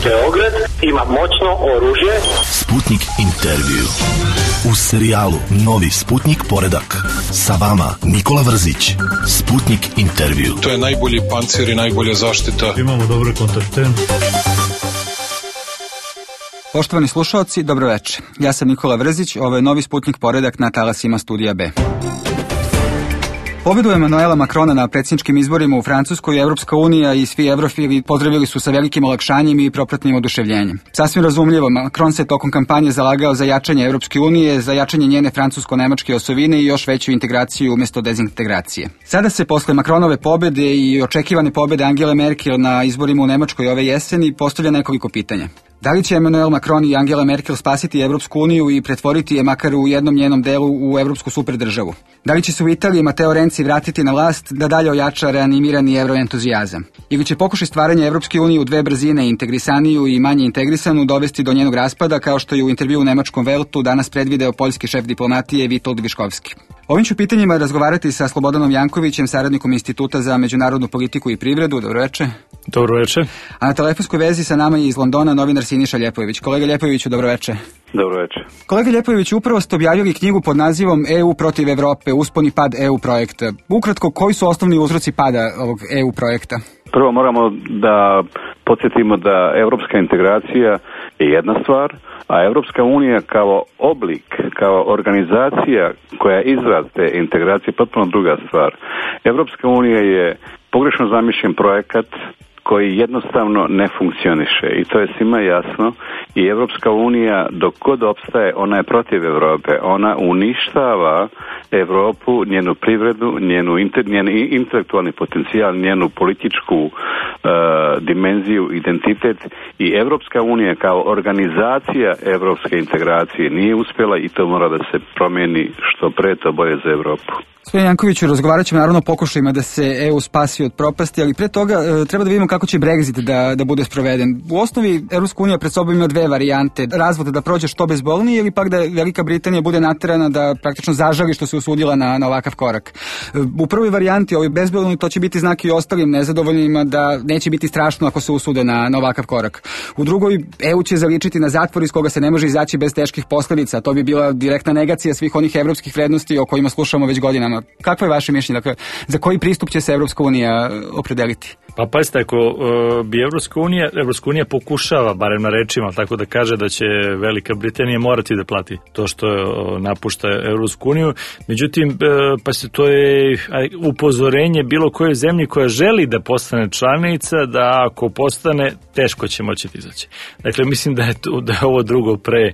Beograd ima moćno oružje. Sputnik intervju. U serijalu Novi Sputnik poredak. Sa vama Nikola Vrzić. Sputnik intervju. To je najbolji pancir i najbolja zaštita. Imamo dobre kontakte. Poštovani slušalci, dobro večer. Ja sam Nikola Vrzić, ovo je Novi Sputnik poredak na talasima Studija B. Pobedu Emanuela Makrona na predsjedničkim izborima u Francuskoj, Evropska unija i svi evrofili pozdravili su sa velikim olakšanjem i propratnim oduševljenjem. Sasvim razumljivo, Makron se tokom kampanje zalagao za jačanje Evropske unije, za jačanje njene francusko-nemačke osovine i još veću integraciju umjesto dezintegracije. Sada se posle Makronove pobede i očekivane pobede Angele Merkel na izborima u Nemačkoj ove jeseni postavlja nekoliko pitanja. Da li će Emanuel Macron i Angela Merkel spasiti Evropsku uniju i pretvoriti je makar u jednom njenom delu u evropsku superdržavu? Da li će se u Italiji Matteo Renzi vratiti na vlast da dalje ojača reanimirani evroentuzijazam? Ili će pokušaj stvaranja Evropske unije u dve brzine, integrisaniju i manje integrisanu, dovesti do njenog raspada, kao što je u intervju u nemačkom Weltu danas predvideo poljski šef diplomatije Witold Viškovski? Ovim ću pitanjima razgovarati sa Slobodanom Jankovićem, saradnikom Instituta za međunarodnu politiku i privredu. Dobro večer. Dobro večer. A na telefonskoj vezi sa nama je iz Londona novinar Siniša Ljepojević. Kolega Ljepojeviću, dobro večer. Dobro večer. Kolega Ljepojević, upravo ste objavili knjigu pod nazivom EU protiv Evrope, uspon i pad EU projekta. Ukratko, koji su osnovni uzroci pada ovog EU projekta? Prvo moramo da podsjetimo da evropska integracija je jedna stvar, a Evropska unija kao oblik, kao organizacija koja je izraz te integracije potpuno druga stvar. Evropska unija je pogrešno zamišljen projekat koji jednostavno ne funkcioniše i to je svima jasno i Evropska unija dok god opstaje, ona je protiv Evrope, ona uništava Evropu, njenu privredu, njen intelektualni potencijal, njenu političku dimenziju, identitet i Evropska unija kao organizacija evropske integracije nije uspjela i to mora da se promijeni što pre, to bolje za Evropu. Gospodin Jankoviću, razgovarat ćemo naravno o pokušajima da se EU spasi od propasti, ali pre toga treba da vidimo kako će Brexit da bude sproveden. U osnovi Evropska unija pred sobom ima dve varijante, razvod da prođe što bezbolnije ili pak da Velika Britanija bude naterana da praktično zažali što se usudila na ovakav korak. U prvoj varijanti, ovoj bezbolnoj, to će biti znak i ostalim nezadovoljnima da neće biti strašno ako se usude na ovakav korak. U drugoj, EU će zaličiti na zatvor iz koga se ne može izaći bez teških posljedica. To bi bila direktna negacija svih onih evropskih vrednosti o kojima slušamo već godinama. Kakvo je vaše mišljenje? Dakle, za koji pristup će se Evropska unija opredeliti? Pa pazite, ako bi Evropska unija pokušava, barem na rečima, tako da kaže da će Velika Britanija morati da plati to što napušta Evropsku uniju. Međutim, pazite, to je upozorenje bilo koje zemlji koja želi da postane članica, da ako postane, teško će moći izaći. Dakle, mislim da je ovo drugo pre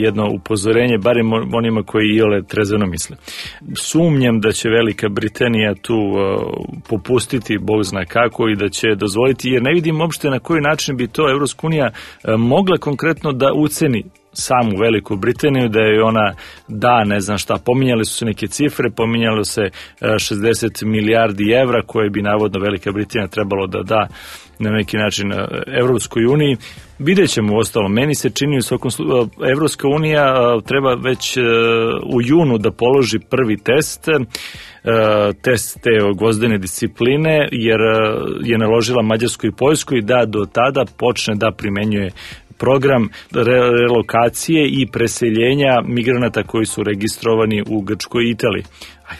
jedno upozorenje, barem onima koji iole trezveno misle. Sumnjam da će Velika Britanija tu popustiti, Bog zna kako, i da će dozvoliti, jer ne vidim uopšte na koji način bi to Evropska unija mogla konkretno da uceni samu Veliku Britaniju, da je ona ne znam šta, pominjali su se neke cifre, pominjalo se 60 milijardi evra koje bi navodno Velika Britanija trebalo da da na neki način Evropskoj uniji. Vidjet ćemo uostalom, meni se čini u svakom slučaju, Evropska unija treba već u junu da položi prvi test te gvozdene discipline, jer je naložila Mađarskoj i Poljskoj da do tada počne da primenjuje program relokacije i preseljenja migranata koji su registrovani u Grčkoj i Italiji.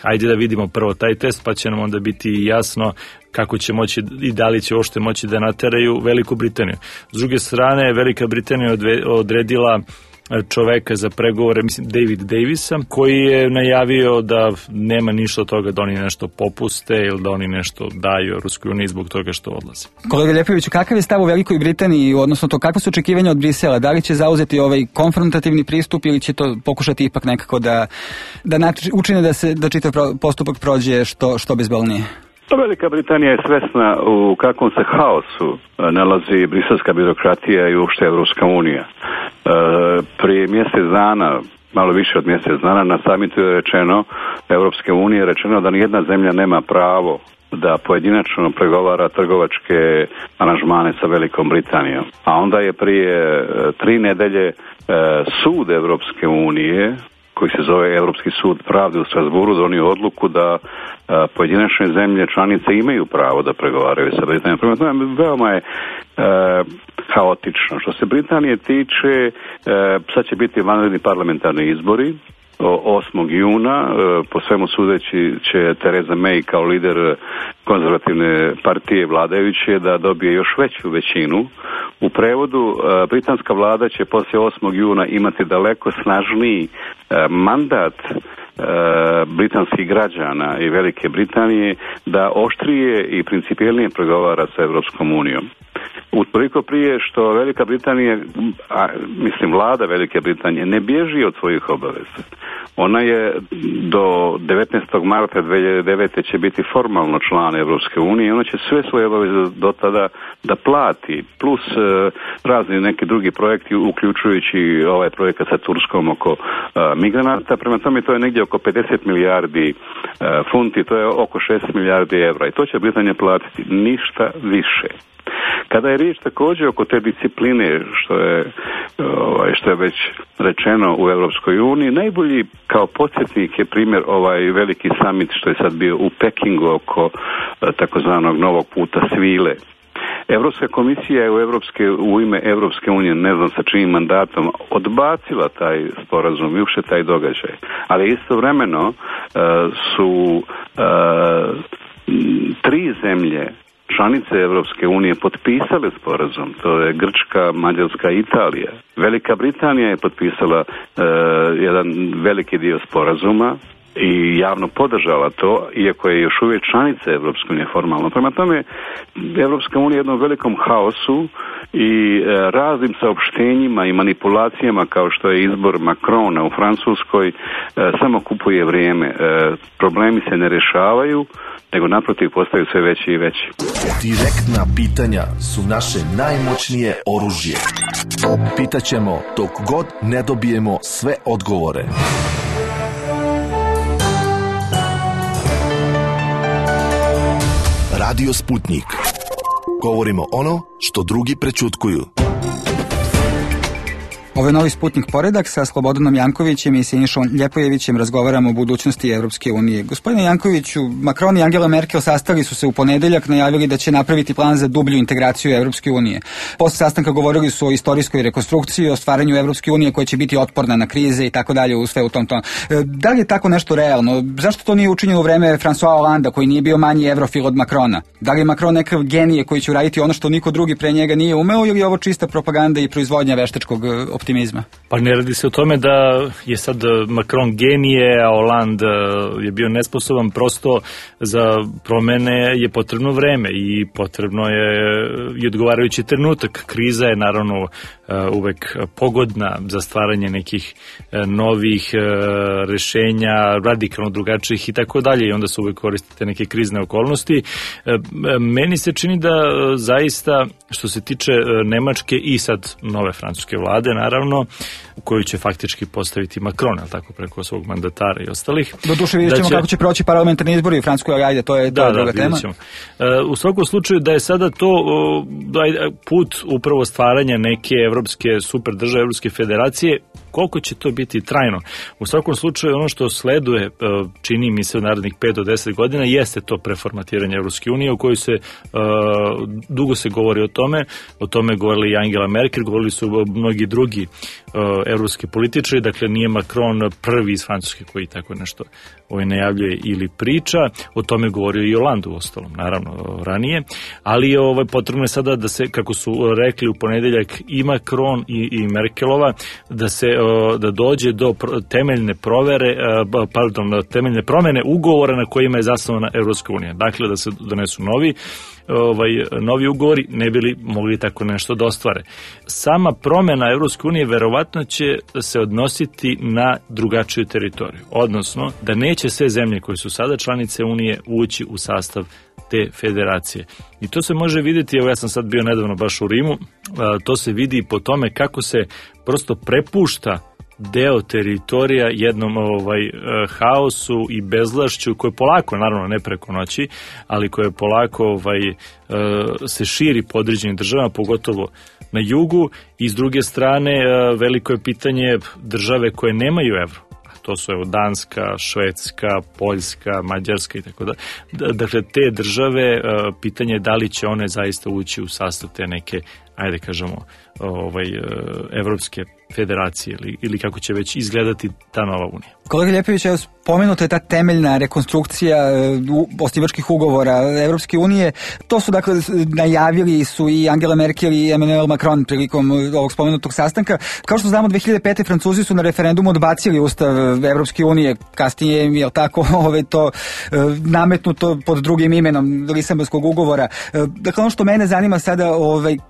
Ajde da vidimo prvo taj test, pa će nam onda biti jasno kako će moći i da li će uopšte moći da nateraju Veliku Britaniju. S druge strane, Velika Britanija odredila čoveka za pregovore, mislim David Davisa, koji je najavio da nema ništa od toga da oni nešto popuste ili da oni nešto daju Ruskoj uniji zbog toga što odlaze. Kolega Ljepojeviću, kakav je stav u Velikoj Britaniji, odnosno to kakve su očekivanja od Brisela? Da li će zauzeti ovaj konfrontativni pristup ili će to pokušati ipak nekako da učine da čitav postupak prođe što bezbolnije? Velika Britanija je svesna u kakvom se haosu nalazi briselska birokratija i uopšte Evropska unija. Prije mjesec dana, malo više od mjesec dana, na samitu je rečeno, Evropske unije rečeno da nijedna zemlja nema pravo da pojedinačno pregovara trgovačke aranžmane sa Velikom Britanijom. A onda je prije 3 nedelje sud Evropske unije koji se zove Europski sud pravde u Strasburu donio odluku da pojedinačne zemlje članice imaju pravo da pregovaraju sa Britanijom. Prema tome, veoma je haotično. Što se Britanije tiče, sad će biti vanredni parlamentarni izbori 8. juna, po svemu sudeći će Theresa May kao lider konzervativne partije vladajuće da dobije još veću većinu. U prevodu, britanska vlada će poslije 8. juna imati daleko snažniji mandat britanskih građana i Velike Britanije da oštrije i principijelnije pregovara sa Europskom unijom. Utoliko prije što Velika Britanija, vlada Velike Britanije ne bježi od svojih obaveza. Ona je do 19. marta 2009. će biti formalno član Europske unije i ona će sve svoje obaveze do tada da plati, plus razni neki drugi projekti, uključujući ovaj projekat sa Turskom oko migranata. Prema tome to je negdje oko 50 milijardi funti, to je oko 6 milijardi evra i to će Britanija platiti, ništa više. Kada je riječ također oko te discipline, što je već rečeno u Europskoj uniji, najbolji kao podsjetnik je primjer ovaj veliki summit što je sad bio u Pekingu oko takozvanog novog puta svile. Europska komisija je u ime Europske unije, ne znam sa čijim mandatom, odbacila taj sporazum i uopšte taj događaj. Ali istovremeno su 3 zemlje članice Europske unije potpisale sporazum, to je Grčka, Mađarska i Italija. Velika Britanija je potpisala jedan veliki dio sporazuma i javno podržala to, iako je još uvijek članica Europske unije formalno. Prema tome, Europska unija je u jednom velikom haosu i raznim saopštenjima i manipulacijama kao što je izbor Macrona u Francuskoj samo kupuje vrijeme. Problemi se ne rješavaju, nego naprotiv postaju sve veći i veći. Direktna pitanja su naše najmoćnije oružje. Pitaćemo dok god ne dobijemo sve odgovore. Radio Sputnik. Govorimo ono što drugi prećutkuju. Ovo je novi Sputnik poredak sa Slobodanom Jankovićem i Sinišom Ljepojevićem. Razgovaramo o budućnosti Europske unije. Gospodine Jankoviću, Macron i Angela Merkel sastali su se u ponedeljak, najavili da će napraviti plan za dublju integraciju Europske unije. Posle sastanka govorili su o istorijskoj rekonstrukciji, o stvaranju Europske unije koja će biti otporna na krize i tako dalje, u sve u tom tonu. Da li je tako nešto realno? Zašto to nije učinjeno u vreme François Hollanda, koji nije bio manji evrofil od Macrona? Da li je Macron nekav genije koji će uraditi ono što niko drugi pre njega nije umeo, ili je ovo čista propaganda i proizvodnja veštačkog optimizma? Pa ne radi se o tome da je sad Macron genije, a Hollande je bio nesposoban, prosto za promene je potrebno vreme i potrebno je i odgovarajući trenutak. Kriza je naravno uvek pogodna za stvaranje nekih novih rešenja, radikalno drugačijih i tako dalje, i onda se uvek koristite neke krizne okolnosti. Meni se čini da zaista što se tiče Nemačke i sad nove francuske vlade, naravno, u koju će faktički postaviti Macron, ali tako, preko svog mandatara i ostalih. Doduše vidjet ćemo kako će proći parlamentarni izbori u Francuskoj, ali ajde, to je druga tema. U svakom slučaju da je sada to put upravo stvaranja neke evropske super države, evropske federacije, koliko će to biti trajno. U svakom slučaju ono što sleduje, čini mi se u narednih 5 do 10 godina, jeste to preformatiranje Evropske unije, o kojoj se dugo se govori o tome govorili i Angela Merkel, govorili su mnogi drugi evropski političari, dakle nije Macron prvi iz Francuske koji tako nešto najavljuje ili priča, o tome govorio i Hollande u ostalom, naravno ranije, ali potrebno je sada da se, kako su rekli u ponedeljak i Macron i Merkelova, da dođe do temeljne promene ugovora na kojima je zasnovana Evropska unija. Dakle, da se donesu novi ugovori, ne bili mogli tako nešto da ostvare. Sama promena Evropske unije verovatno će se odnositi na drugačiju teritoriju, odnosno da neće sve zemlje koje su sada članice Unije ući u sastav te federacije. I to se može vidjeti, ja sam sad bio nedavno baš u Rimu, to se vidi po tome kako se prosto prepušta deo teritorija jednom haosu i bezvlašću koje polako, naravno ne preko noći, ali koje polako se širi po određenim državama, pogotovo na jugu, i s druge strane veliko je pitanje države koje nemaju evro. to su evo Danska, Švedska, Poljska, Mađarska i tako da. Dakle, te države, pitanje je da li će one zaista ući u sastav te neke, ajde kažemo, evropske federacije ili kako će već izgledati ta nova unija. Kolega Ljepović, evo spomenuta je ta temeljna rekonstrukcija osnivačkih ugovora Evropske unije. To su dakle najavili su i Angela Merkel i Emmanuel Macron prilikom ovog spomenutog sastanka. Kao što znamo, 2005. Francuzi su na referendumu odbacili ustav Evropske unije, kasnije im je tako to nametnuto pod drugim imenom Lisabonskog ugovora. Dakle, ono što mene zanima sada,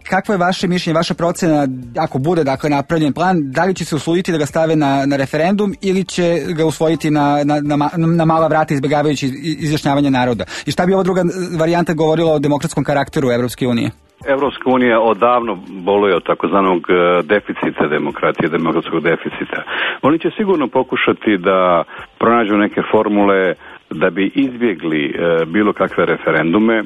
kakvo je vaše mišljenje, vaša procena, ako bude dakle napravljen plan, da li će se usvojiti da ga stave na referendum ili će ga usvojiti na mala vrata izbjegavajući izjašnjavanje naroda? I šta bi ova druga varijanta govorila o demokratskom karakteru Evropske unije? Evropska unija odavno boluje od takozvanog deficita demokratije, demokratskog deficita. Oni će sigurno pokušati da pronađu neke formule da bi izbjegli bilo kakve referendume,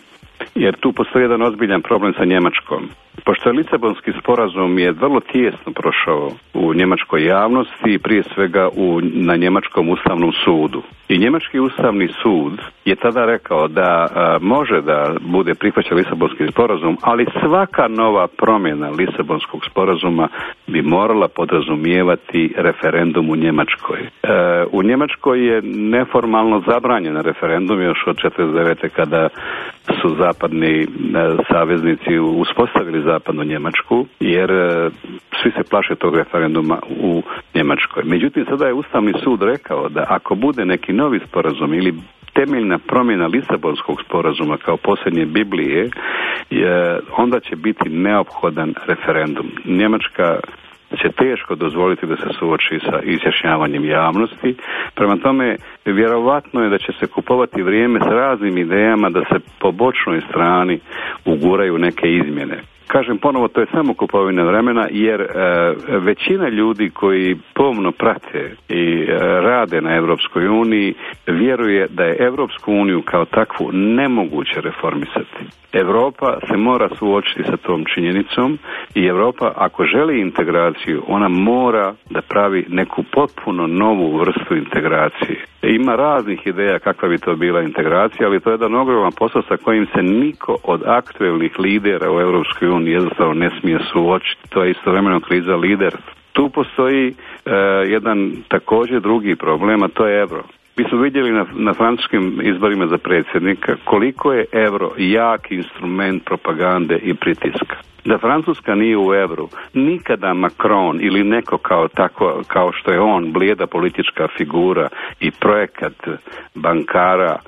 jer tu postoji jedan ozbiljan problem sa Njemačkom. Pošto je Lisabonski sporazum je vrlo tijesno prošao u njemačkoj javnosti i prije svega na njemačkom ustavnom sudu. I njemački ustavni sud je tada rekao da može da bude prihvaćen Lisabonski sporazum, ali svaka nova promjena Lisabonskog sporazuma bi morala podrazumijevati referendum u Njemačkoj. U Njemačkoj je neformalno zabranjen referendum još od 1949. kada su zapadni saveznici uspostavili zapadnu Njemačku, jer svi se plaše tog referenduma u Njemačkoj. Međutim, sada je Ustavni sud rekao da ako bude neki novi sporazum ili temeljna promjena Lisabonskog sporazuma kao posljednje Biblije, onda će biti neophodan referendum. Njemačka će teško dozvoliti da se suoči sa izjašnjavanjem javnosti. Prema tome, vjerovatno je da će se kupovati vrijeme s raznim idejama da se po bočnoj strani uguraju neke izmjene. Kažem ponovo, to je samo kupovina vremena, jer većina ljudi koji pomno prate i rade na Europskoj uniji vjeruje da je Europsku uniju kao takvu nemoguće reformisati. Europa se mora suočiti sa tom činjenicom i Europa, ako želi integraciju, ona mora da pravi neku potpuno novu vrstu integracije. Ima raznih ideja kakva bi to bila integracija, ali to je jedan ogroman posao sa kojim se niko od aktuelnih lidera u Europskoj uniji jednostavno ne smije suočiti. To je istovremeno kriza liderstva. Tu postoji jedan također drugi problem, a to je euro. Mi smo vidjeli na francuskim izborima za predsjednika koliko je euro jak instrument propagande i pritiska. Da Francuska nije u euru, nikada Macron ili neko kao što je on, blijeda politička figura i projekat bankara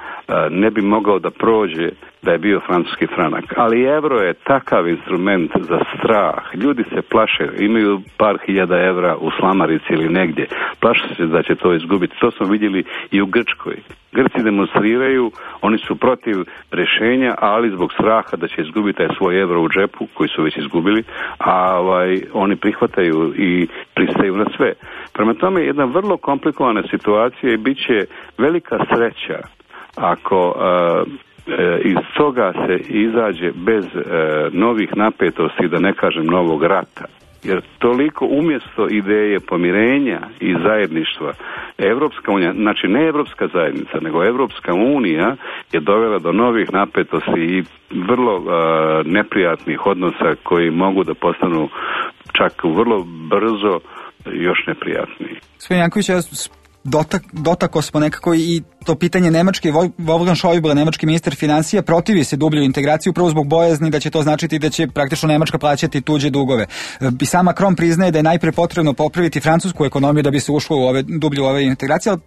ne bi mogao da prođe da je bio francuski franak. Ali euro je takav instrument za strah. Ljudi se plaše, imaju par hiljada evra u slamarici ili negdje. Plaše se da će to izgubiti. To smo vidjeli i u Grčkoj. Grci demonstriraju, oni su protiv rješenja, ali zbog straha da će izgubiti taj svoj euro u džepu, koji su već izgubili, a oni prihvataju i pristaju na sve. Prema tome, jedna vrlo komplikovana situacija i bit će velika sreća ako iz toga se izađe bez novih napetosti, da ne kažem novog rata. Jer toliko umjesto ideje pomirenja i zajedništva, Evropska unija, znači ne Evropska zajednica, nego Evropska unija je dovela do novih napetosti i vrlo neprijatnih odnosa koji mogu da postanu čak vrlo brzo još neprijatniji. Gospodin Janković, dotakao smo nekako i to pitanje Nemačke. Wolfgang Schäuble, nemački ministar financija, protivi se dubljoj integraciji upravo zbog bojazni da će to značiti da će praktično Nemačka plaćati tuđe dugove. I sam Macron priznaje da je najpre potrebno popraviti francusku ekonomiju da bi se ušlo u dublju ove integracije, ali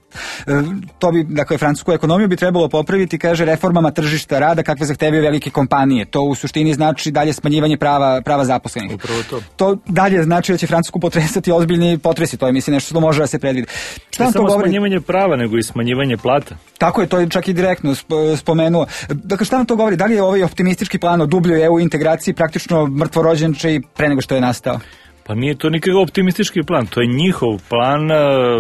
to bi, dakle, francusku ekonomiju bi trebalo popraviti, kaže, reformama tržišta rada kakve zahtevaju velike kompanije. To u suštini znači dalje smanjivanje prava zaposlenih. Upravo to. To dalje znači da će Francusku potresati ozbiljni potresi. To je, mislim, nešto što može da se predvidi. Šta vam to govori? Smanjivanje prava, nego i smanjivanje plata. Tako je, to je čak i direktno spomenuo. Dakle, šta nam to govori? Da li je ovaj optimistički plan o dubljoj EU integraciji praktično mrtvorođenče i pre nego što je nastao? Pa nije to nikakav optimistički plan, to je njihov plan,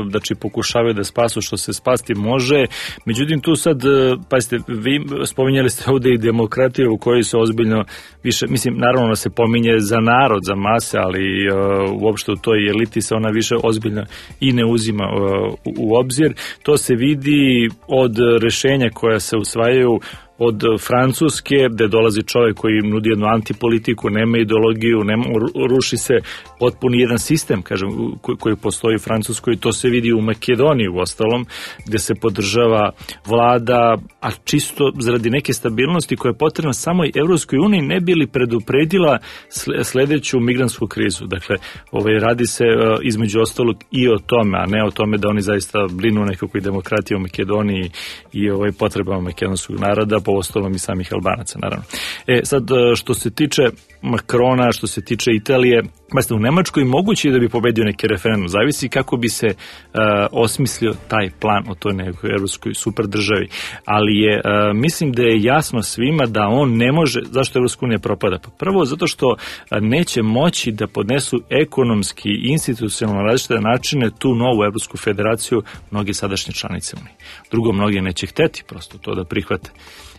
znači pokušavaju da spasu što se spasti može, međutim tu sad, pazite, vi spominjali ste ovde i demokratiju u kojoj se ozbiljno više, mislim, naravno ona se pominje za narod, za mase, ali uopšte u toj eliti se ona više ozbiljno i ne uzima u obzir. To se vidi od rešenja koja se usvajaju od Francuske, gde dolazi čovjek koji nudi jednu antipolitiku, nema ideologiju, ruši se potpuni jedan sistem, kažem, koji postoji u Francuskoj, to se vidi u Makedoniji u ostalom, gde se podržava vlada, a čisto zaradi neke stabilnosti koja je potrebna samoj Evropskoj uniji ne bi li predupredila sledeću migrantsku krizu. Dakle, radi se između ostalog i o tome, a ne o tome da oni zaista brinu nekakvoj demokratiji u Makedoniji i potrebama makedonskog naroda, po ostalom i samih Albanaca, naravno. Sad, što se tiče Makrona, što se tiče Italije, u Nemačkoj moguće je da bi pobedio neki referendum, zavisi kako bi se osmislio taj plan o toj nekoj evropskoj super državi, ali mislim da je jasno svima da on ne može, zašto Evropska unija propada? Pa prvo, zato što neće moći da podnesu ekonomski i institucionalno različite načine tu novu Evropsku federaciju mnogi sadašnje članice unije. Drugo, mnogi neće hteti prosto to da prihvate.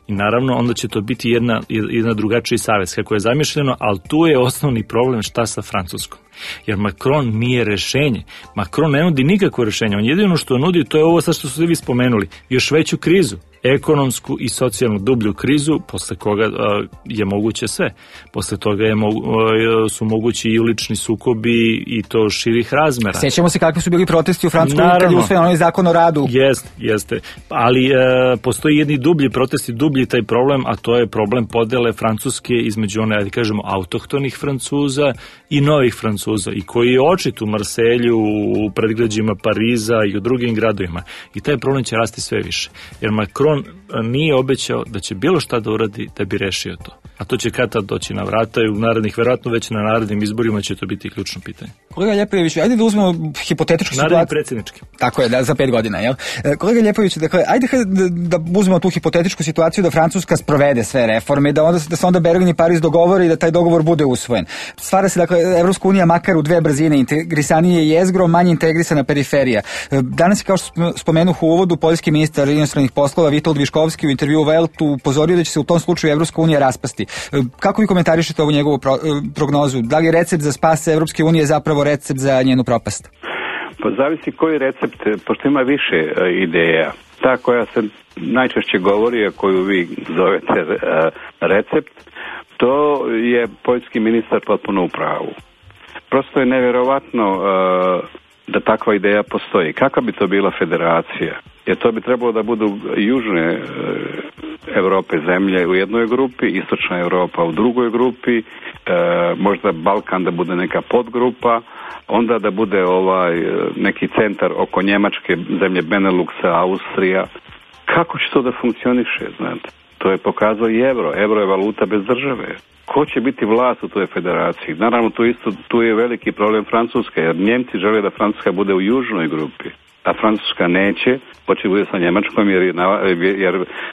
I naravno, onda će to biti jedna drugačiji savez kako je zamišljeno, ali tu je osnovni problem šta sa Francuskom. Jer Macron nije rešenje. Macron ne nudi nikakvo rešenje. On jedino što nudi, to je ovo sad što ste vi spomenuli, još veću krizu. Ekonomsku i socijalnu dublju krizu, posle koga je moguće sve. Posle toga su mogući i ulični sukobi i to širih razmera. Sećamo se kakvi su bili protesti u Francuskoj kad je usvojen onaj zakon o radu. Jeste. Ali postoji jedni dublji protesti, dublji taj problem, a to je problem podele Francuske između one, da kažemo, autohtonih Francuza i novih Francuza, i koji je očit u Marselju, u predgrađima Pariza i u drugim gradovima. I taj problem će rasti sve više. Jer Macron nije obećao da će bilo šta da uradi da bi rešio to. A to će kad tad doći na vrata i u narednih, verovatno već na narednim izborima će to biti ključno pitanje. Kolega Ljepojević, ajde da uzmemo hipotetičku situaciju. Naredni predsjednički. Tako je, za 5 godina, jel? Kolega Ljepojević, dakle, ajde da uzmemo tu hipotetičku situaciju da Francuska sprovede sve reforme i da se onda Berlin i Pariz dogovore i da taj dogovor bude usvojen. Stvara se, dakle, Evropska unija makar u dve brzine, integrisanije jezgro, manje integrisana periferija. Danas je, kao što spomenuh u uvodu, poljski ministar inostranih poslova Vitold Viškovski u intervjuu Weltu upozorio da će se u tom slučaju Evropska unija raspasti. Kako vi komentarišete ovu njegovu prognozu? Da li je recept za spas Evropske unije zapravo recept za njenu propast? Pa zavisi koji recept, pošto ima više ideja. Ta koja se najčešće govori, a koju vi zovete recept, to je poljski ministar potpuno u pravu. Prosto je nevjerovatno da takva ideja postoji. Kakva bi to bila federacija? Jer to bi trebalo da budu južne Evrope zemlje u jednoj grupi, istočna Europa u drugoj grupi, možda Balkan da bude neka podgrupa, onda da bude neki centar oko Njemačke, zemlje Beneluxa, Austrija. Kako će to da funkcioniše, znate? To je pokazao i euro. Euro je valuta bez države. Ko će biti vlast u toj federaciji? Naravno, tu je veliki problem Francuske, jer Njemci žele da Francuska bude u južnoj grupi, a Francuska neće, hoće bude sa Njemačkom, jer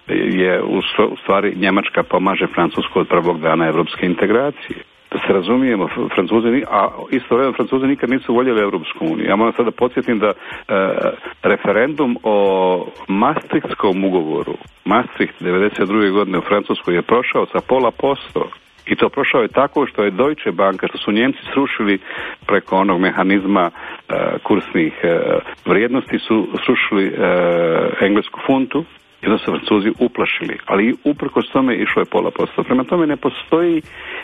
je u stvari Njemačka pomaže Francusku od prvog dana evropske integracije. Da se razumijemo, Francuzi nikad nisu voljeli Evropsku uniju. Ja moram sad da podsjetim da referendum o Maastrichtskom ugovoru, Maastricht 92. godine u Francuskoj je prošao sa 0,5%. I to prošao je tako što je Deutsche Bank, što su Njemci srušili preko onog mehanizma kursnih vrijednosti, su srušili englesku funtu i onda su Francuzi uplašili. Ali uprkos tome išlo je 0,5%. Prema tome ne postoji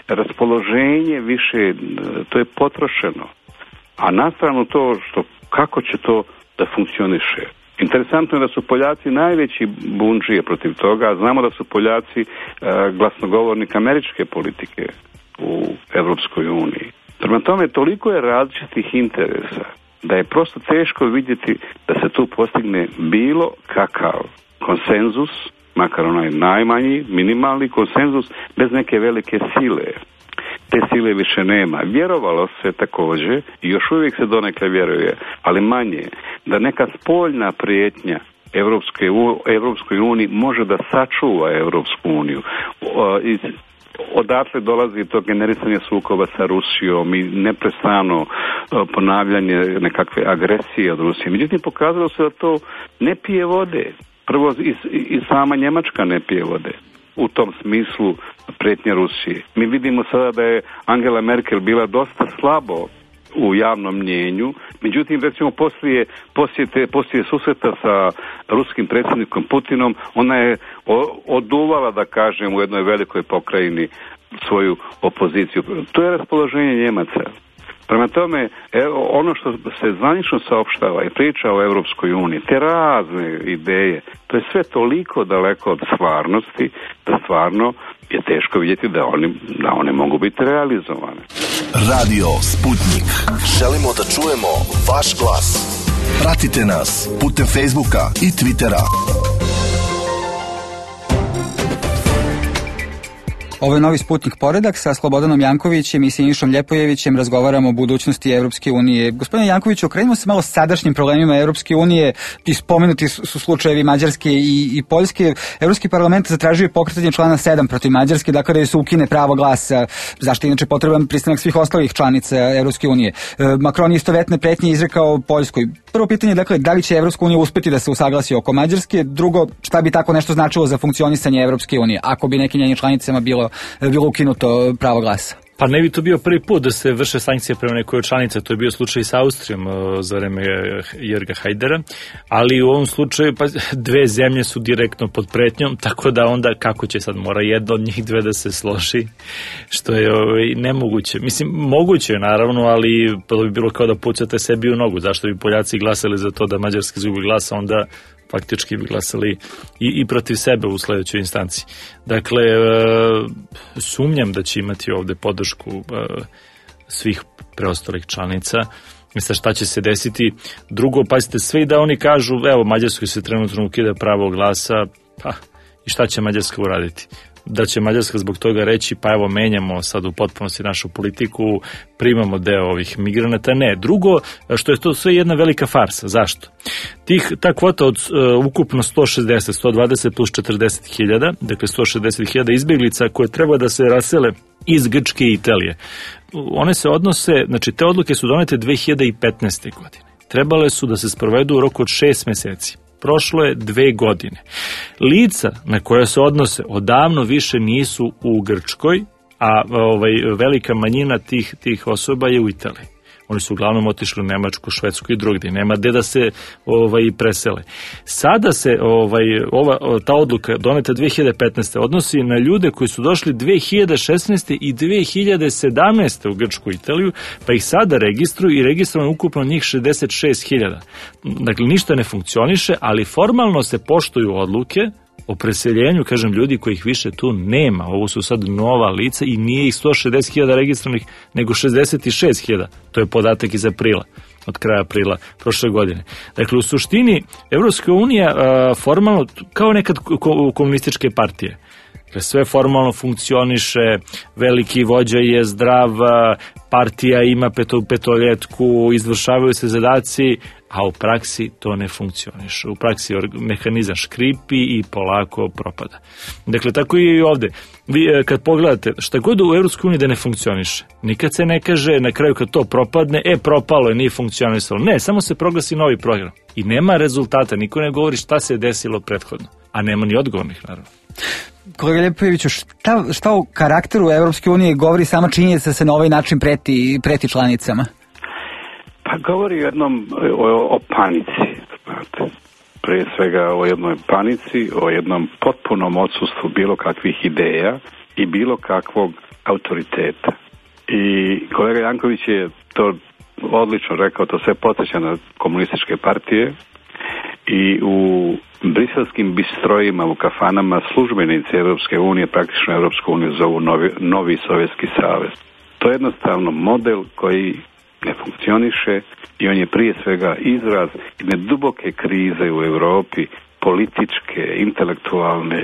raspoloženje više, to je potrošeno. A nastranu to kako će to da funkcioniše. Interesantno je da su Poljaci najveći bundžije protiv toga, a znamo da su Poljaci glasnogovornik američke politike u Evropskoj uniji. Prema tome, toliko je različitih interesa da je prosto teško vidjeti da se tu postigne bilo kakav konsenzus, makar onaj najmanji, minimalni konsenzus, bez neke velike sile. Te sile više nema. Vjerovalo se također, i još uvijek se donekle vjeruje, ali manje, da neka spoljna prijetnja Evropskoj uniji može da sačuva Evropsku uniju. odatle dolazi to generisanje sukoba sa Rusijom i neprestano ponavljanje nekakve agresije od Rusije. Međutim, pokazalo se da to ne pije vode. Prvo i sama Njemačka ne pije vode u tom smislu pretnje Rusije. Mi vidimo sada da je Angela Merkel bila dosta slabo u javnom mnjenju, međutim recimo poslije susreta sa ruskim predsjednikom Putinom, ona je oduvala, da kažem, u jednoj velikoj pokrajini svoju opoziciju. To je raspoloženje Njemaca. Prema tome, ono što se zvanično saopštava i priča o Europskoj uniji, te razne ideje, to je sve toliko daleko od stvarnosti, da stvarno je teško vidjeti da one mogu biti realizovane. Radio Sputnik. Želimo da čujemo vaš glas. Pratite nas putem Facebooka i Twittera. Ovo je Novi Sputnik Poredak. Sa Slobodanom Jankovićem i Sinišom Ljepojevićem razgovaramo o budućnosti Evropske unije. Gospodine Jankoviću, okrenimo se malo sadašnjim problemima Evropske unije. Spomenuti su slučajevi Mađarske i Poljske. Evropski parlament zatražio pokretanje člana 7 protiv Mađarske, dakle da se ukine pravo glasa, zašto je inače potreban pristanak svih ostalih članica Evropske unije. Macron je istovetne pretnje izrekao Poljskoj. Prvo pitanje, dakle, da li će Evropska unija uspeti da se usaglasi oko Mađarske? Drugo, šta bi tako nešto značilo za funkcionisanje Evropske unije, ako bi nekim njenim članicama bilo ukinuto pravo glasa? Pa ne bi to bio prvi put da se vrše sankcije prema nekoj članice, to je bio slučaj sa Austrijom za vreme Jörga Haidera, ali u ovom slučaju pa dve zemlje su direktno pod pretnjom, tako da onda kako će sad, mora jedna od njih dve da se složi, što je nemoguće. Mislim, moguće je naravno, ali to bi bilo kao da pucate sebi u nogu. Zašto bi Poljaci glasali za to da Mađarski izgubi glasa, onda faktički bi glasali i protiv sebe u sledećoj instanciji. Dakle, sumnjam da će imati ovde podršku svih preostalih članica. Mislim, šta će se desiti? Drugo, pazite, sve i da oni kažu, evo, Mađarskoj se trenutno ukida pravo glasa, pa i šta će Mađarska uraditi? Da će Mađarska zbog toga reći, pa evo, menjamo sad u potpunosti našu politiku, primamo deo ovih migranata. Ne. Drugo, što je to sve jedna velika farsa. Zašto? Ta kvota od ukupno 120 plus 40.000, dakle 160.000 izbjeglica koje treba da se rasele iz Grčke i Italije. One se odnose, znači te odluke su donete 2015. godine. Trebale su da se sprovedu u roku od 6 meseci. Prošlo je 2 godine. Lica na koje se odnose odavno više nisu u Grčkoj, a velika manjina tih osoba je u Italiji. Oni su uglavnom otišli u Nemačku, Švedsku i drugdje. Nema gde da se presele. Sada se ta odluka doneta 2015. odnosi na ljude koji su došli 2016. i 2017. u Grčku i Italiju, pa ih sada registruju i registrovano ukupno njih 66.000. Dakle, ništa ne funkcioniše, ali formalno se poštuju odluke o preseljenju, kažem, ljudi kojih više tu nema. Ovo su sad nova lica i nije ih 160.000 registrovanih, nego 66.000. To je podatak iz aprila, od kraja aprila prošle godine. Dakle, u suštini, Evropska unija formalno, kao nekad komunističke partije, sve formalno funkcioniše, veliki vođa je zdrav, partija ima petoljetku, izvršavaju se zadaci, a u praksi to ne funkcioniše. U praksi mehanizam škripi i polako propada. Dakle, tako je i ovde. Vi kad pogledate, šta god u EU da ne funkcioniše, nikad se ne kaže na kraju kad to propadne, propalo je, nije funkcionisalo. Ne, samo se proglasi novi program. I nema rezultata, niko ne govori šta se desilo prethodno. A nema ni odgovornih, naravno. Kolega Ljepojeviću, šta o karakteru Evropske unije govori sama činjenica da se na ovaj način preti članicama? Pa govori o panici, znate. Prije svega o jednoj panici, o jednom potpunom odsustvu bilo kakvih ideja i bilo kakvog autoriteta. I kolega Janković je to odlično rekao, to sve podsjeća na komunističke partije i u briselskim bistrojima, u kafanama službenici Evropske unije, praktično Evropsku uniju zovu novi Sovjetski savez. To je jednostavno model koji ne funkcioniše i on je prije svega izraz jedne duboke krize u Europi, političke, intelektualne.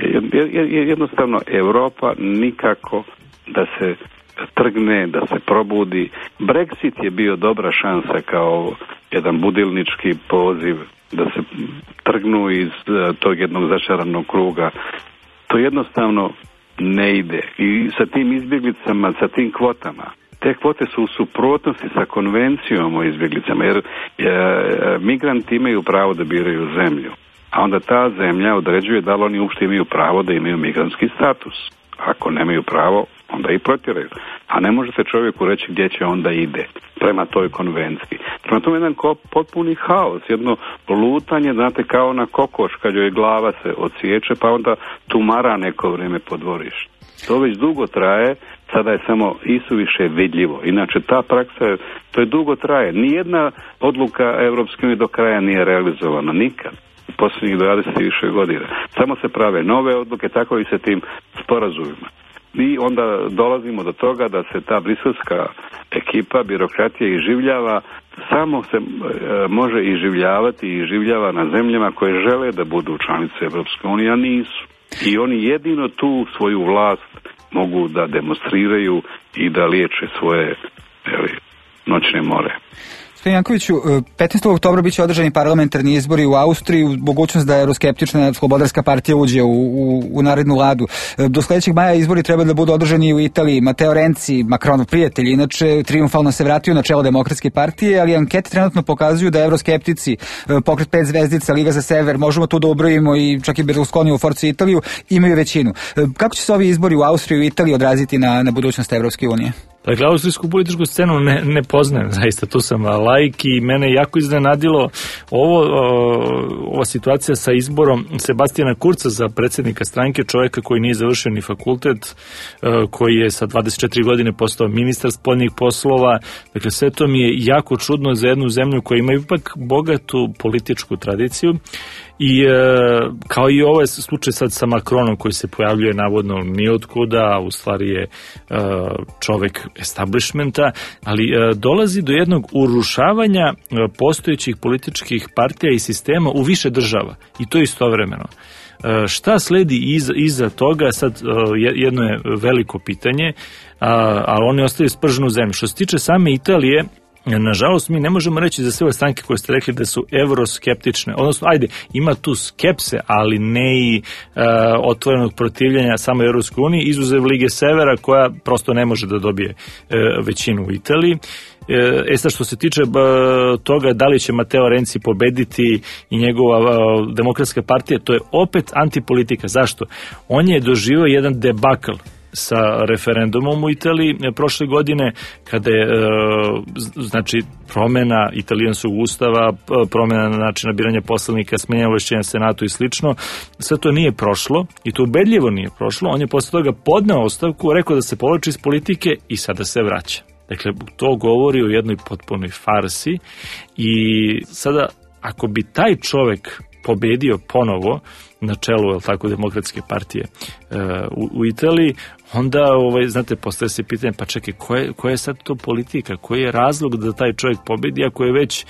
Jednostavno Europa nikako da se trgne, da se probudi. Brexit je bio dobra šansa kao jedan budilnički poziv da se trgnu iz tog jednog začaranog kruga. To jednostavno ne ide. I sa tim izbjeglicama, sa tim kvotama, te kvote su u suprotnosti sa konvencijom o izbjeglicama, jer migranti imaju pravo da biraju zemlju, a onda ta zemlja određuje da li oni uopšte imaju pravo da imaju migrantski status. Ako nemaju pravo, onda i protjeraju. A ne možete čovjeku reći gdje će onda ide prema toj konvenciji. Prema tome jedan potpuni haos, jedno lutanje, znate, kao na kokoš kad joj glava se odsječe, pa onda tumara neko vrijeme po dvorištu. To već dugo traje, sada je samo isuviše vidljivo. Inače, ta praksa, to je dugo traje. Nijedna odluka Europske unije do kraja nije realizovana, nikad. U posljednjih 20 i više godina. Samo se prave nove odluke, tako i sa tim sporazumima. I onda dolazimo do toga da se ta briselska ekipa, birokratija iživljava, samo se može iživljavati i iživljava na zemljama koje žele da budu članice Europske unije, a nisu. I oni jedino tu svoju vlast mogu da demonstriraju i da liječe svoje noćne more. Gospodin Jankoviću, 15. oktobra biće održani parlamentarni izbori u Austriji, mogućnost da euroskeptična Slobodarska partija uđe u narednu vladu. Do sledećeg maja izbori treba da budu održani u Italiji. Matteo Renzi, Macronov prijatelj, inače trijumfalno se vratio na čelo Demokratske partije, ali ankete trenutno pokazuju da euroskeptici, Pokret 5 zvezdica, Liga za sever, možemo tu da ubrojimo i čak i Berlusconi u Forcu Italiju, imaju većinu. Kako će se ovi izbori u Austriji i u Italiji odraziti na budućnost Evropske unije? Dakle, austrijsku političku scenu ne poznajem, zaista, tu sam laik i mene jako iznenadilo ova situacija sa izborom Sebastijana Kurca za predsjednika stranke, čovjeka koji nije završio ni fakultet, koji je sa 24 godine postao ministar spoljnih poslova. Dakle, sve to mi je jako čudno za jednu zemlju koja ima ipak bogatu političku tradiciju. I kao i ovaj slučaj sad sa Macronom koji se pojavljuje navodno nijotkuda, u stvari je čovek establishmenta, ali dolazi do jednog urušavanja postojećih političkih partija i sistema u više država i to istovremeno. Šta sledi iza toga, sad jedno je veliko pitanje, ali oni ostaju sprženu zemlju. Što se tiče same Italije, nažalost, mi ne možemo reći za sve ove stranke koje ste rekli da su euroskeptične. Odnosno, ima tu skepse, ali ne i otvorenog protivljenja samo Europskoj uniji, izuzev Lige Severa koja prosto ne može da dobije većinu u Italiji. Sad što se tiče toga da li će Matteo Renzi pobediti i njegova Demokratska partija, to je opet antipolitika. Zašto? On je doživio jedan debakl sa referendumom u Italiji prošle godine, kada je znači promjena italijanskog ustava, promjena načina biranja poslanika, smenjanja ovlašćenja senatu i slično. Sve to nije prošlo i to ubedljivo nije prošlo. On je posle toga podneo ostavku, rekao da se povlači iz politike i sada se vraća. Dakle, to govori o jednoj potpunoj farsi i sada ako bi taj čovek pobedio ponovo na čelu, jel tako, Demokratske partije u Italiji, onda, znate, postaje se pitanje, pa čekaj, koja je sad to politika, koji je razlog da taj čovjek pobedi, ako je već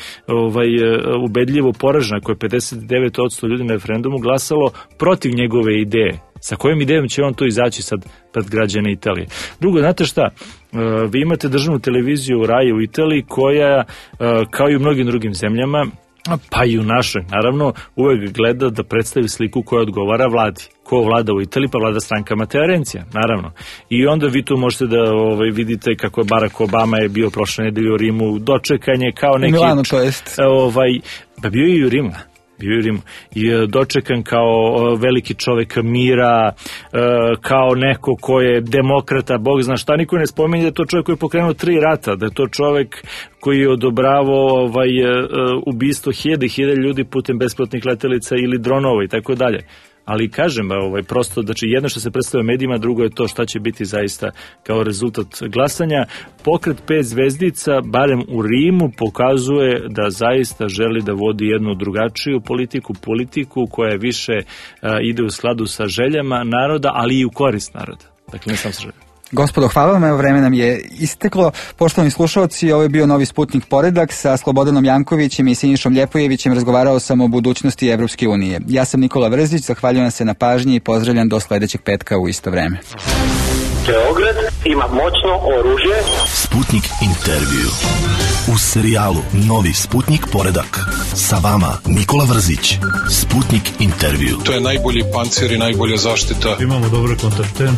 ubedljivo poražen, ako je 59% ljudi na referendumu glasalo protiv njegove ideje. Sa kojom idejom će on to izaći sad pred građane Italije? Drugo, znate šta, vi imate državnu televiziju RAI u Italiji koja, kao i u mnogim drugim zemljama, pa i u našoj, naravno, uvek gleda da predstavi sliku koja odgovara vladi. Ko vlada u Italiji? Pa vlada stranka Matteo Renzija, naravno. I onda vi tu možete da vidite kako je Barack Obama je bio prošle nedelje u Rimu, dočekanje kao neki... U Milanu, to jest. Pa bio je i u Rimu. I dočekan kao veliki čovek mira, kao neko ko je demokrata, Bog zna šta, niko ne spominje da je to čovjek koji je pokrenuo 3 rata, da je to čovjek koji je odobravao ubistvo hiljade ljudi putem besplatnih letelica ili dronova i tako dalje. Ali kažem, prosto, znači jedno što se predstavlja medijima, drugo je to šta će biti zaista kao rezultat glasanja. Pokret 5 zvezdica, barem u Rimu, pokazuje da zaista želi da vodi jednu drugačiju politiku koja više ide u skladu sa željama naroda, ali i u korist naroda. Dakle, ne sam sa željama. Gospodo, hvala vam, evo vreme nam je isteklo. Poštovani slušalci, ovo je bio Novi Sputnik Poredak sa Slobodanom Jankovićem i Sinišom Ljepojevićem. Razgovarao sam o budućnosti Evropske unije. Ja sam Nikola Vrzić, zahvaljujem se na pažnji i pozdravljam do sledećeg petka u isto vreme. Beograd ima moćno oružje. Sputnik intervju. U serijalu Novi Sputnik poredak. Sa vama Nikola Vrzić. Sputnik intervju. To je najbolji pancir i najbolja zaštita. Imamo dobre kontakte.